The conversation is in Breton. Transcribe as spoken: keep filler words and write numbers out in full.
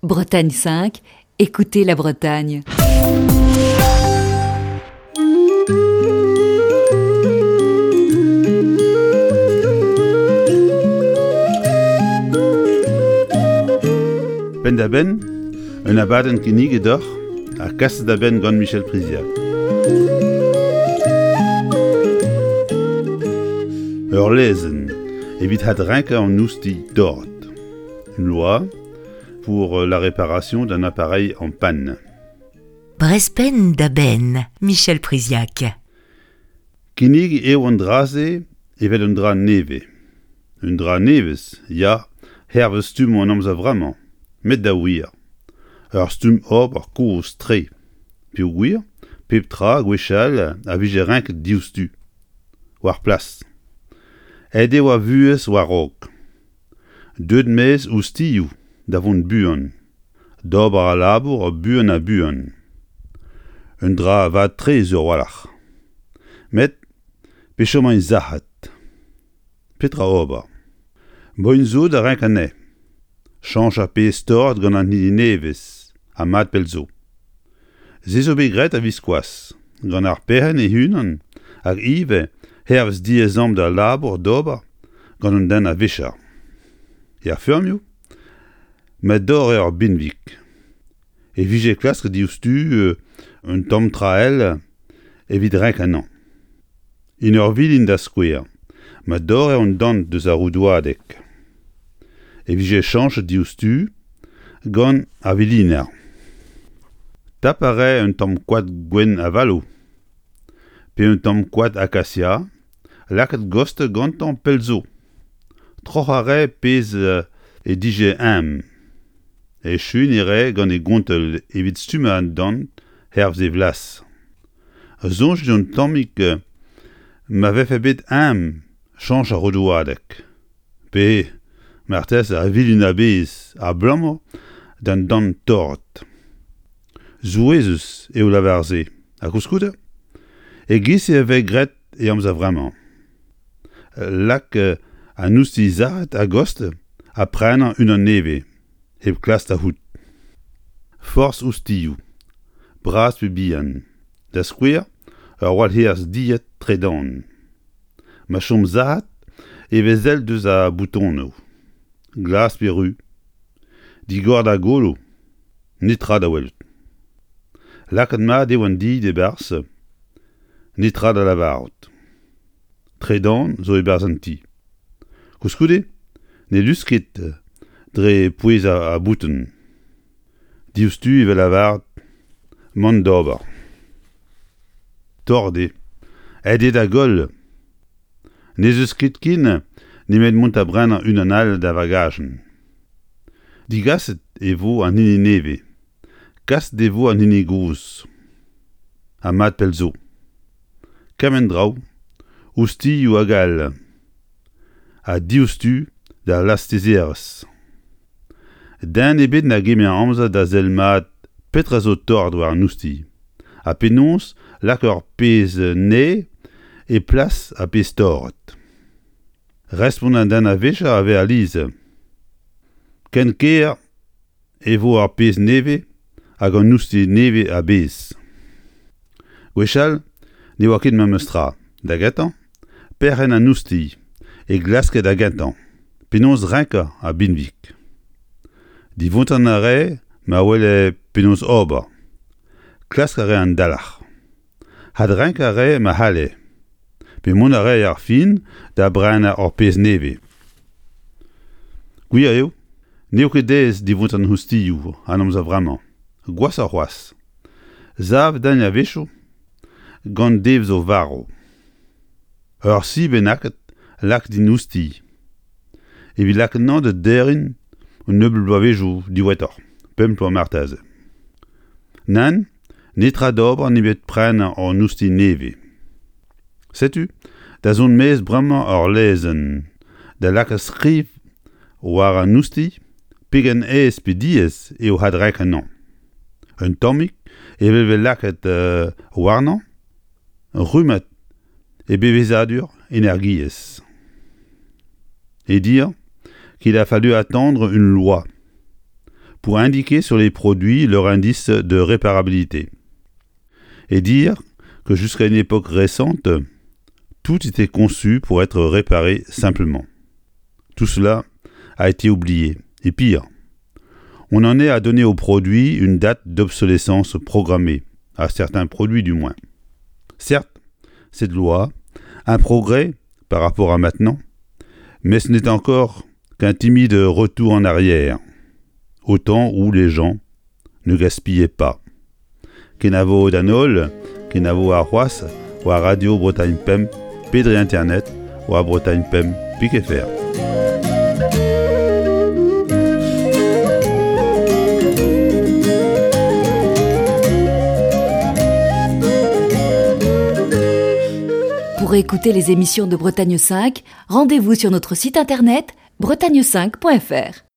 Bretagne cinq, écoutez la Bretagne. Penn-da-benn, un abadenn kinniget deoc'h ha kaset da benn gant Michel Priziac. Ur lezenn evit adrenkañ an oustilh torret. Une loi pour la réparation d'un appareil en panne. Brezh penn da benn, Michel Priziac. Kinnig eo an dra-se evel un dra nevez. Un dra nevez, ya, hervez stumm an amzer vremañ, met da wir. Ur stumm ober kozh-tre. Peogwir, pep tra gwechall a vije renket diouzhtu. War plas. Aet eo ar vuhez war-raok. Deuet maez oustilhoù da vont buan, d'ober al labour buan ha buan. Un dra vat-tre sur a-walc'h. Met pe chom sac'hat. Petra ober? Boen zo da renk anezhe. Chañch ar pezh torret gant an hini nevez, ha mat pell zo. Se zo bet graet a-viskoazh, gant ar perc'henn e-unan hag ivez hervez diaezamant al labour d'ober gant un den a-vicher. Er feurmioù, ma dorr ur benveg. E vije klasket diouzhtu un tamm tra all evit renkañ anezhañ. En ur vilin da skouer, ma dorr un dant deus ar roudouadeg. E vije chañchet diouzhtu gant ar viliner. Tap a rae un tamm koad gwenn avaloù, pe un tamm koad akasia, lakaet gost gantañ pell zo. Troc'hañ a rae pezh e dije ezhomm. Echuiñ e rae gant e gontell evit stummañ an dant hervez e vlaz. Soñjit un tammig ma vefe bet ezhomm chañch ar roudouadeg. Pe marteze ar vilin a-bezh abalamour d'an dant torret. Souezhus eo lavar se, ha koulskoude, e-giz-se e vez graet e amzer vremañ. Lak an oustilh sac'het a-gostez ha prenañ unan nevez, hep klask da c'hoût. Forzh oustilhoù, bras pe bihan, da skouer ur walc'her dilhad tredan. Ma chom sac'hat e vez sell deus ar boutonoù, glas pe ruz. Digor d'ar golo, netra da welout. Lakaet mat eo an dilhad e-barzh, netra da lavarout. Tredan zo e-barzh an ti. Koulskoude, ne lusk ket dre pouezañ ar bouton. Diouzhtu e vez lavaret mont d'ober. Torret eo. Aet eo da goll. N'ez eus ket ken nemet mont da brenañ unan all d'ar vagajenn. Digaset e vo an hini nevez. Kaset e vo an hini gozh. Ha mat pell zo. Kement draoù, oustilhoù hag all. Ha diouzhtu d'al lastezerezh. Den ebet na gemer amzer da sell mat petra zo torret war an oustilh. Ha penaos lak ur pezh nevez e plas ar pezh torret. Respont an den a-vicher a vez alies. Ken ker e vo ar pezh nevez hag an oustilh nevez a-bezh. Gwechall ne oa ket memes tra. Da gentañ, perc'henn an oustilh e glaske da gentañ. Penaos renkañ ar benveg. Divontañ a rae ma wele penaos ober. Klask a rae an dalc'h. Adrenkañ a rae ma c'halle. Pe mont a rae ar fin da brenañ ur pezh nevez. Gwir eo, n'eo ket aes divontañ oustilhoù an amzer vremañ. Gwashoc'h c'hoazh. Savet int a-wechoù gant devezh varv. Ur si bennaket lakaet en oustilh. Evit lakaat anezhañ da derriñ un nebeud bloavezhioù diwezhatoc'h, pemp bloaz marteze. Nann, netra d'ober nemet prenañ an oustilh nevez. Setu, da zont maez bremañ ur lezenn, da lakaat skriv war an oustilh pegen aes pe diaes eo adrenkañ anezhañ. Un tammig evel vez lakaet euh, warnañ, rummad e bevezadur energiezh. Et dire qu'il a fallu attendre une loi pour indiquer sur les produits leur indice de réparabilité. Et dire que jusqu'à une époque récente, tout était conçu pour être réparé simplement. Tout cela a été oublié, et pire, on en est à donner aux produits une date d'obsolescence programmée, à certains produits du moins. Certes, cette loi, un progrès par rapport à maintenant, mais ce n'est encore qu'un timide retour en arrière, au temps où les gens ne gaspillaient pas. Kenavo d'an holl, kenavo ar c'hoazh, war Radio Bretagne Pemp, pe dre Internet, war Bretagne Pemp, pik F R. Pour écouter les émissions de Bretagne cinq, rendez-vous sur notre site internet bretagne cinq point F R.